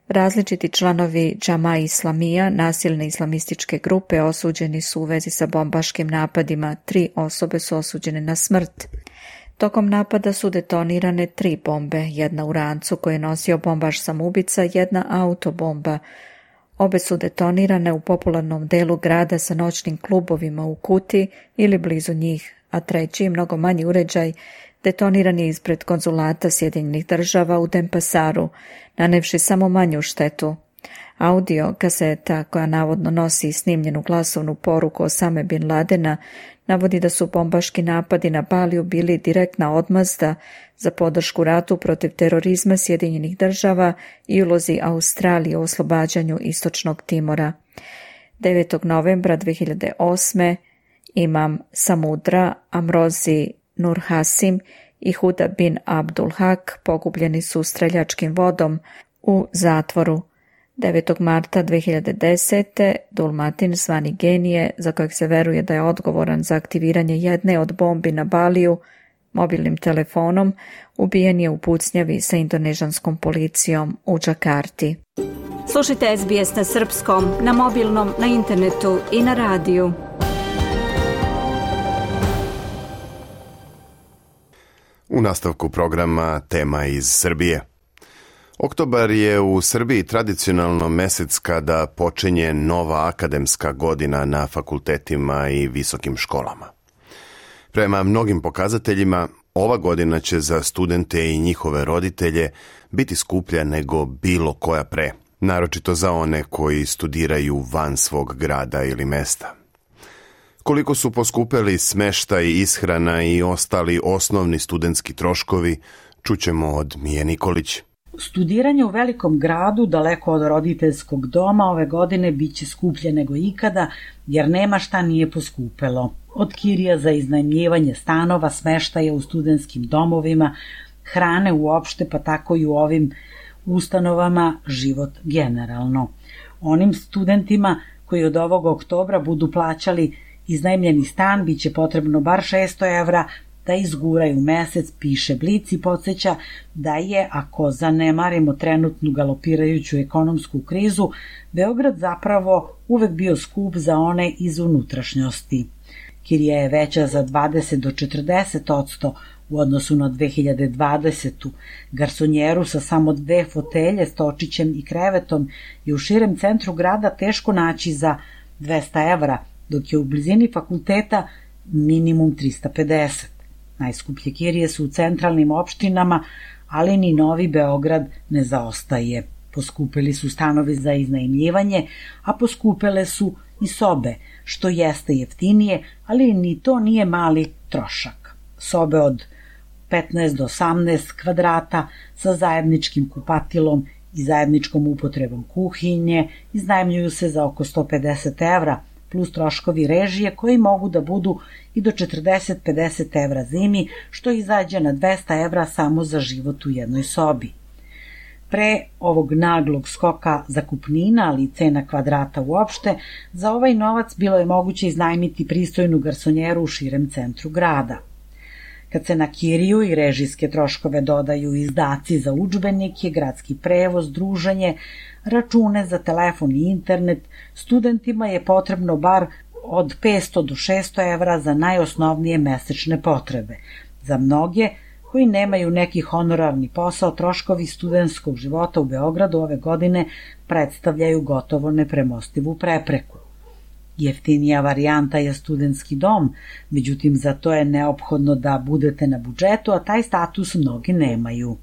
Različiti članovi Džama Islamija, nasilne islamističke grupe, osuđeni su u vezi sa bombaškim napadima. Tri osobe su osuđene na smrt. Tokom napada su detonirane tri bombe, jedna u rancu koji je nosio bombaš samoubica, jedna autobomba. Obe su detonirane u popularnom delu grada sa noćnim klubovima u Kuti ili blizu njih, a treći, mnogo manji uređaj, detoniran je ispred konzulata Sjedinjenih država u Denpasaru, nanevši samo manju štetu. Audio kaseta, koja navodno nosi snimljenu glasovnu poruku Osame bin Ladena, navodi da su bombaški napadi na Baliju bili direktna odmazda za podršku ratu protiv terorizma Sjedinjenih država i ulozi Australije u oslobađanju Istočnog Timora. devetog novembra dve hiljade osme imam Samudra, Amrozi Nur Hasim i Huda bin Abdul Hak pogubljeni su streljačkim vodom u zatvoru. devetog marta dve hiljade desete. Dulmatin zvani Genije, za kojeg se veruje da je odgovoran za aktiviranje jedne od bombi na Baliju mobilnim telefonom, ubijen je u pucnjavi sa indonežanskom policijom u Džakarti. Slušajte S B S na srpskom, na mobilnom, na internetu i na radiju. U nastavku programa tema iz Srbije. Oktobar je u Srbiji tradicionalno mesec kada počinje nova akademska godina na fakultetima i visokim školama. Prema mnogim pokazateljima, ova godina će za studente i njihove roditelje biti skuplja nego bilo koja pre, naročito za one koji studiraju van svog grada ili mesta. Koliko su poskupeli smeštaj, ishrana i ostali osnovni studentski troškovi, čućemo od Mije Nikolić. Studiranje u velikom gradu, daleko od roditeljskog doma, ove godine bit će skuplje nego ikada, jer nema šta nije poskupelo. Od kirija za iznajmljivanje stanova, smeštaja u studentskim domovima, hrane uopšte, pa tako i u ovim ustanovama, život generalno. Onim studentima koji od ovog oktobra budu plaćali iznajmljeni stan, bit će potrebno bar šesto evra, da izguraju mesec, piše Blic i podsjeća da je, ako zanemarimo trenutnu galopirajuću ekonomsku krizu, Beograd zapravo uvek bio skup za one iz unutrašnjosti. Kirija je veća za dvadeset do četrdeset odsto u odnosu na dve hiljade dvadesetu. Garsonjeru sa samo dve fotelje, stočićem i krevetom je u širem centru grada teško naći za dvesta evra, dok je u blizini fakulteta minimum trista pedeset. Najskuplje kirije su u centralnim opštinama, ali ni Novi Beograd ne zaostaje. Poskupeli su stanovi za iznajmljivanje, a poskupele su i sobe, što jeste jeftinije, ali ni to nije mali trošak. Sobe od petnaest do osamnaest kvadrata sa zajedničkim kupatilom i zajedničkom upotrebom kuhinje iznajmljuju se za oko sto pedeset evra, plus troškovi režije koji mogu da budu i do četrdeset do pedeset evra zimi, što izađe na dvesta evra samo za život u jednoj sobi. Pre ovog naglog skoka zakupnina, ali i cena kvadrata uopšte, za ovaj novac bilo je moguće iznajmiti pristojnu garsonjeru u širem centru grada. Kad se na kiriju i režijske troškove dodaju izdaci za udžbenike, gradski prevoz, druženje, račune za telefon i internet, studentima je potrebno bar od petsto do šesto evra za najosnovnije mesečne potrebe. Za mnoge koji nemaju neki honorarni posao, troškovi studentskog života u Beogradu ove godine predstavljaju gotovo nepremostivu prepreku. Jeftinija varijanta je studentski dom, međutim za to je neophodno da budete na budžetu, a taj status mnogi nemaju.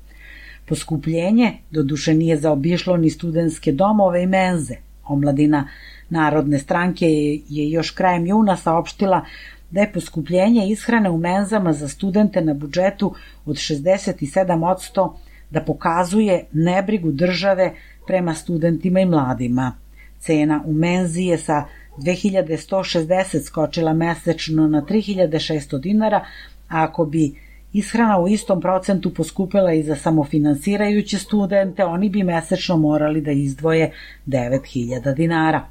Poskupljenje doduše nije zaobišlo ni studentske domove i menze. Omladina Narodne stranke je još krajem juna saopštila da je poskupljenje ishrane u menzama za studente na budžetu od šezdeset sedam odsto da pokazuje nebrigu države prema studentima i mladima. Cena u menzi je sa dve hiljade sto šezdeset skočila mesečno na tri hiljade šesto dinara, a ako bi ishrana u istom procentu poskupila i za samofinansirajuće studente, oni bi mesečno morali da izdvoje devet hiljada dinara.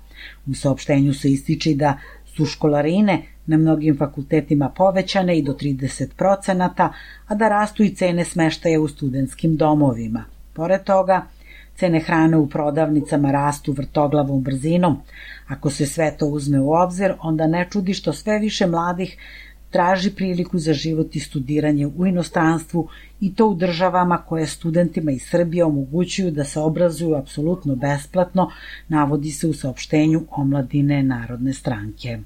U saopštenju se ističe da su školarine na mnogim fakultetima povećane i do trideset procenata, a da rastu i cene smeštaja u studentskim domovima. Pored toga, cene hrane u prodavnicama rastu vrtoglavom brzinom. Ako se sve to uzme u obzir, onda ne čudi što sve više mladih traži priliku za život i studiranje u inostranstvu i to u državama koje studentima iz Srbije omogućuju da se obrazuju apsolutno besplatno, navodi se u saopštenju Omladine Narodne stranke.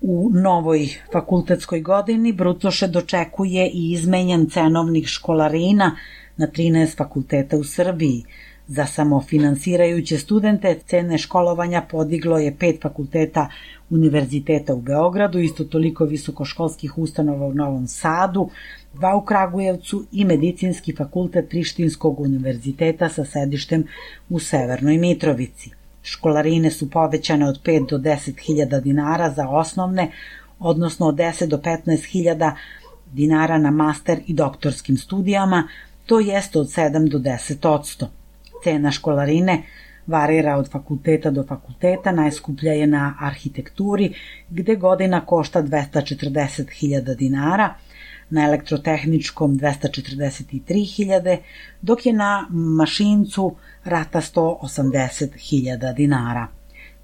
U novoj fakultetskoj godini Brucoše dočekuje i izmenjen cenovnik školarina na trinaest fakulteta u Srbiji. Za samofinansirajuće studente cene školovanja podiglo je pet fakulteta univerziteta u Beogradu, isto toliko visokoškolskih ustanova u Novom Sadu, dva u Kragujevcu i Medicinski fakultet Prištinskog univerziteta sa sedištem u Severnoj Mitrovici. Školarine su povećane od pet do deset hiljada dinara za osnovne, odnosno od deset do petnaest hiljada dinara na master i doktorskim studijama, to jeste od sedam do deset odsto. Cena školarine varira od fakulteta do fakulteta, najskuplja je na arhitekturi, gde godina košta dvesta četrdeset hiljada dinara, na elektrotehničkom dvesta četrdeset tri hiljade, dok je na mašincu rata sto osamdeset hiljada dinara.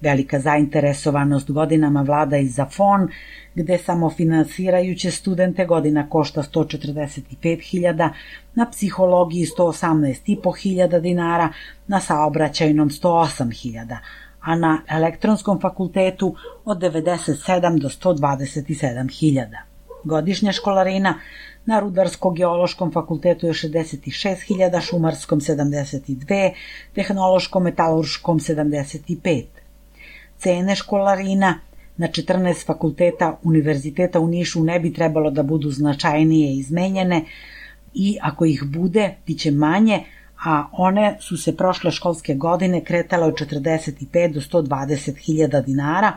Velika zainteresovanost godinama vlada i za F O N, gde samofinansirajuće studente godina košta sto četrdeset pet hiljada, na psihologiji sto osamnaest i po hiljada dinara, na saobraćajnom sto osam hiljada, a na elektronskom fakultetu od devedeset sedam do sto dvadeset sedam hiljada. Godišnja školarina na Rudarsko-geološkom fakultetu je šezdeset šest hiljada, šumarskom sedamdeset dve, tehnološkom metalurškom sedamdeset pet. Cene školarina na četrnaest fakulteta univerziteta u Nišu ne bi trebalo da budu značajnije izmenjene i ako ih bude, bit će manje, a one su se prošle školske godine kretale od četrdeset pet do sto dvadeset hiljada dinara,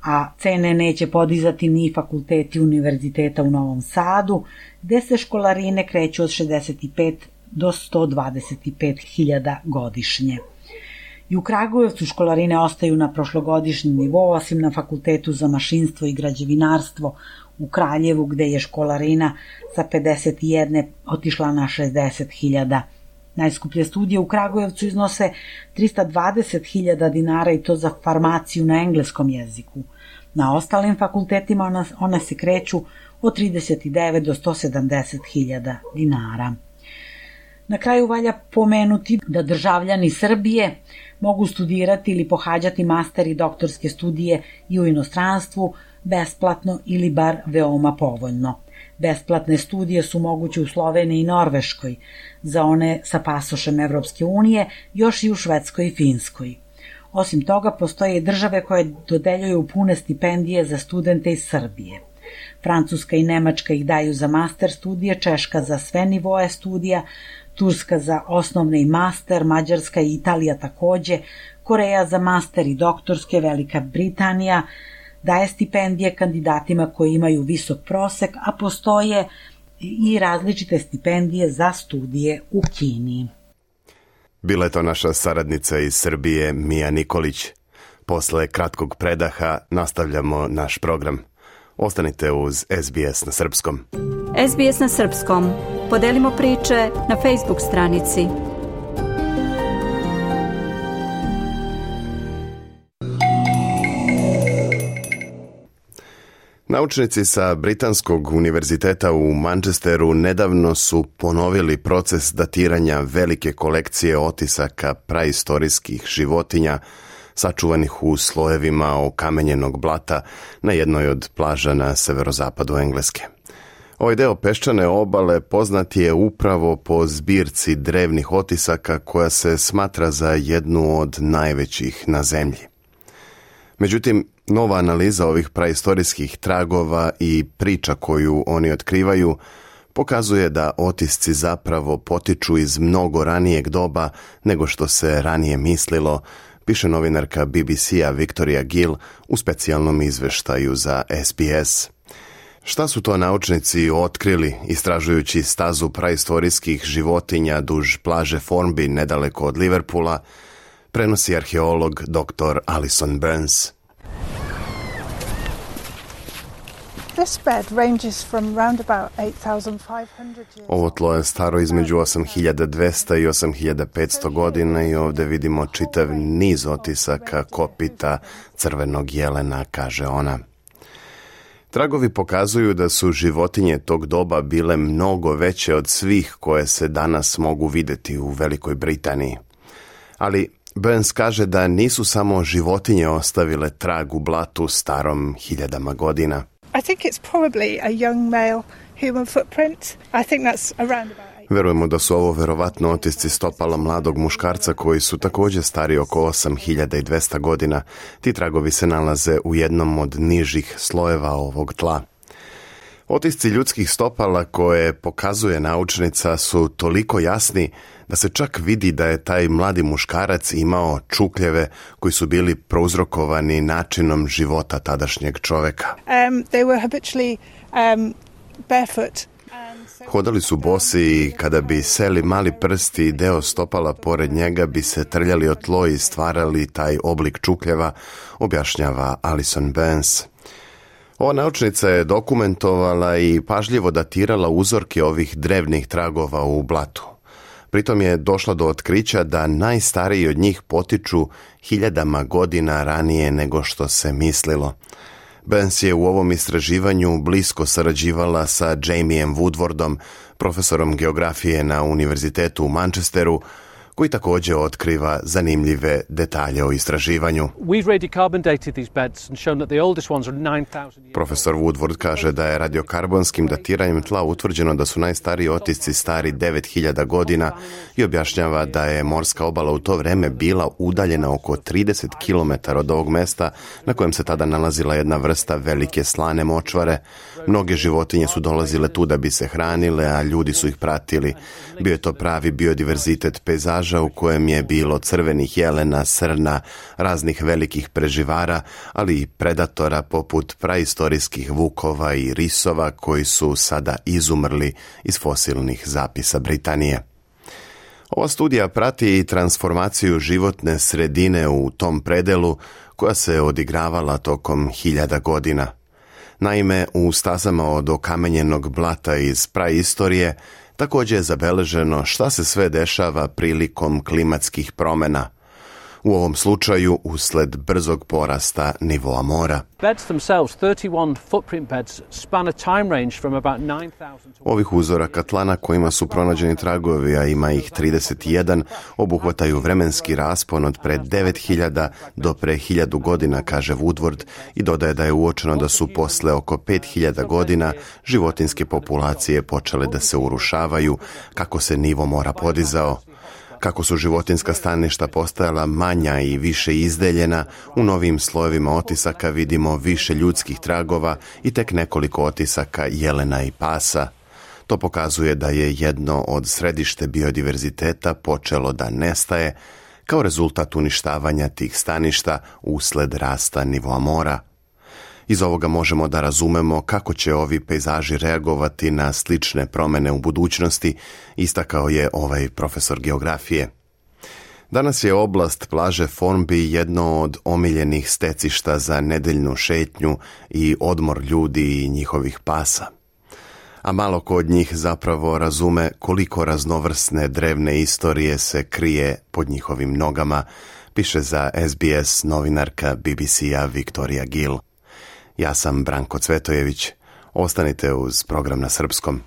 a cene neće podizati ni fakulteti univerziteta u Novom Sadu, gde se školarine kreću od šezdeset pet do sto dvadeset pet hiljada godišnje. I u Kragujevcu školarine ostaju na prošlogodišnjem nivou, osim na Fakultetu za mašinstvo i građevinarstvo u Kraljevu, gde je školarina sa pedeset jedan otišla na šezdeset hiljada. Najskuplje studije u Kragujevcu iznose trista dvadeset hiljada dinara i to za farmaciju na engleskom jeziku. Na ostalim fakultetima one, one se kreću od trideset devet do sto sedamdeset hiljada dinara. Na kraju valja pomenuti da državljani Srbije mogu studirati ili pohađati master i doktorske studije i u inostranstvu besplatno ili bar veoma povoljno. Besplatne studije su moguće u Sloveniji i Norveškoj, za one sa pasošem Evropske unije, još i u Švedskoj i Finskoj. Osim toga, postoje i države koje dodeljuju pune stipendije za studente iz Srbije. Francuska i Nemačka ih daju za master studije, Češka za sve nivoe studija, Turska za osnovne i master, Mađarska i Italija takođe, Koreja za master i doktorske, Velika Britanija daje stipendije kandidatima koji imaju visok prosek, a postoje i različite stipendije za studije u Kini. Bila je to naša saradnica iz Srbije, Mija Nikolić. Posle kratkog predaha nastavljamo naš program. Ostanite uz S B S na srpskom. S B S na srpskom. Podelimo priče na Facebook stranici. Naučnici sa Britanskog univerziteta u Manchesteru nedavno su ponovili proces datiranja velike kolekcije otisaka praistorijskih životinja sačuvanih u slojevima okamenjenog blata na jednoj od plaža na severozapadu Engleske. Ovaj deo peščane obale poznat je upravo po zbirci drevnih otisaka koja se smatra za jednu od najvećih na zemlji. Međutim, nova analiza ovih praistorijskih tragova i priča koju oni otkrivaju pokazuje da otisci zapravo potiču iz mnogo ranijeg doba nego što se ranije mislilo, piše novinarka B B C-a Victoria Gill u specijalnom izveštaju za S B S. Šta su to naučnici otkrili istražujući stazu praistorijskih životinja duž plaže Formby nedaleko od Liverpoola, prenosi arheolog doktor Alison Burns. Ovo tlo je staro između osam hiljada dvesta i osam hiljada petsto godina i ovdje vidimo čitav niz otisaka kopita crvenog jelena, kaže ona. Tragovi pokazuju da su životinje tog doba bile mnogo veće od svih koje se danas mogu vidjeti u Velikoj Britaniji. Ali Burns kaže da nisu samo životinje ostavile trag u blatu starom hiljadama godina. I think it's probably a young male human footprint. I think that's around about eight. Verujemo da su ovo verovatno otisci stopala mladog muškarca koji su također stari oko osam hiljada dvesta godina. Ti tragovi se nalaze u jednom od nižih slojeva ovog tla. Otisci ljudskih stopala koje pokazuje naučnica su toliko jasni da se čak vidi da je taj mladi muškarac imao čukljeve koji su bili prouzrokovani načinom života tadašnjeg čoveka. Um, they were habitually um, barefoot. Hodali su bosi i kada bi seli mali prsti i deo stopala pored njega bi se trljali o tlo i stvarali taj oblik čukljeva, objašnjava Alison Burns. Ova naučnica je dokumentovala i pažljivo datirala uzorke ovih drevnih tragova u blatu. Pritom je došla do otkrića da najstariji od njih potiču hiljadama godina ranije nego što se mislilo. Burns je u ovom istraživanju blisko sarađivala sa Jamiem Woodwardom, profesorom geografije na Univerzitetu u Manchesteru, koji također otkriva zanimljive detalje o istraživanju. Profesor Woodward kaže da je radiokarbonskim datiranjem tla utvrđeno da su najstariji otisci stari devet hiljada godina i objašnjava da je morska obala u to vreme bila udaljena oko trideset kilometara od ovog mesta na kojem se tada nalazila jedna vrsta velike slane močvare. Mnoge životinje su dolazile tu da bi se hranile, a ljudi su ih pratili. Bio je to pravi biodiverzitet pejzaža u kojem je bilo crvenih jelena, srna, raznih velikih preživara, ali i predatora poput praistorijskih vukova i risova koji su sada izumrli iz fosilnih zapisa Britanije. Ova studija prati i transformaciju životne sredine u tom predelu koja se odigravala tokom hiljada godina. Naime, u stazama od okamenjenog blata iz praistorije također je zabeleženo šta se sve dešava prilikom klimatskih promjena. U ovom slučaju usled brzog porasta nivoa mora. Ovih uzoraka tlana kojima su pronađeni tragovi, a ima ih trideset jedan, obuhvataju vremenski raspon od pre devet hiljada do pre hiljadu godina, kaže Woodward, i dodaje da je uočeno da su posle oko pet hiljada godina životinske populacije počele da se urušavaju kako se nivo mora podizao. Kako su životinska staništa postajala manja i više izdeljena, u novim slojevima otisaka vidimo više ljudskih tragova i tek nekoliko otisaka jelena i pasa. To pokazuje da je jedno od središte biodiverziteta počelo da nestaje kao rezultat uništavanja tih staništa usled rasta nivoa mora. Iz ovoga možemo da razumemo kako će ovi pejzaži reagovati na slične promjene u budućnosti, istakao je ovaj profesor geografije. Danas je oblast plaže Formby jedno od omiljenih stecišta za nedeljnu šetnju i odmor ljudi i njihovih pasa. A malo ko od njih zapravo razume koliko raznovrsne drevne istorije se krije pod njihovim nogama, piše za S B S novinarka B B C-a Viktorija Gill. Ja sam Branko Cvetojević. Ostanite uz program na srpskom.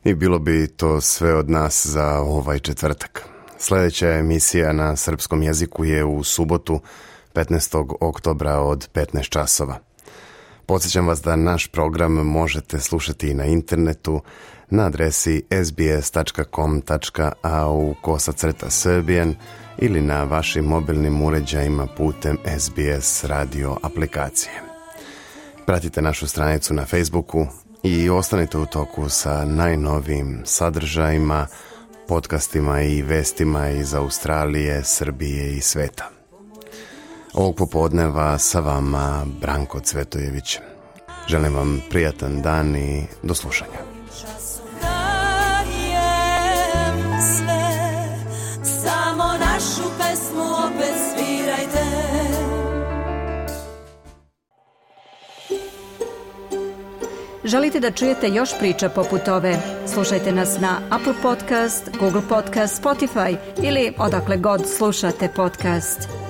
I bilo bi to sve od nas za ovaj četvrtak. Sljedeća emisija na srpskom jeziku je u subotu petnaestog oktobra od petnaest časova. Podsjećam vas da naš program možete slušati i na internetu na adresi s b s tačka com tačka a u kosacrta srbijan ili na vašim mobilnim uređajima putem S B S radio aplikacije. Pratite našu stranicu na Facebooku i ostanite u toku sa najnovijim sadržajima, podcastima i vestima iz Australije, Srbije i sveta. Ovog popodneva sa vama Branko Cvetojević. Želim vam prijatan dan i do slušanja. Samo našu pesmu opet svirajte. Želite da čujete još priča poput ove? Slušajte nas na Apple Podcast, Google Podcast, Spotify ili odakle god slušate podcast.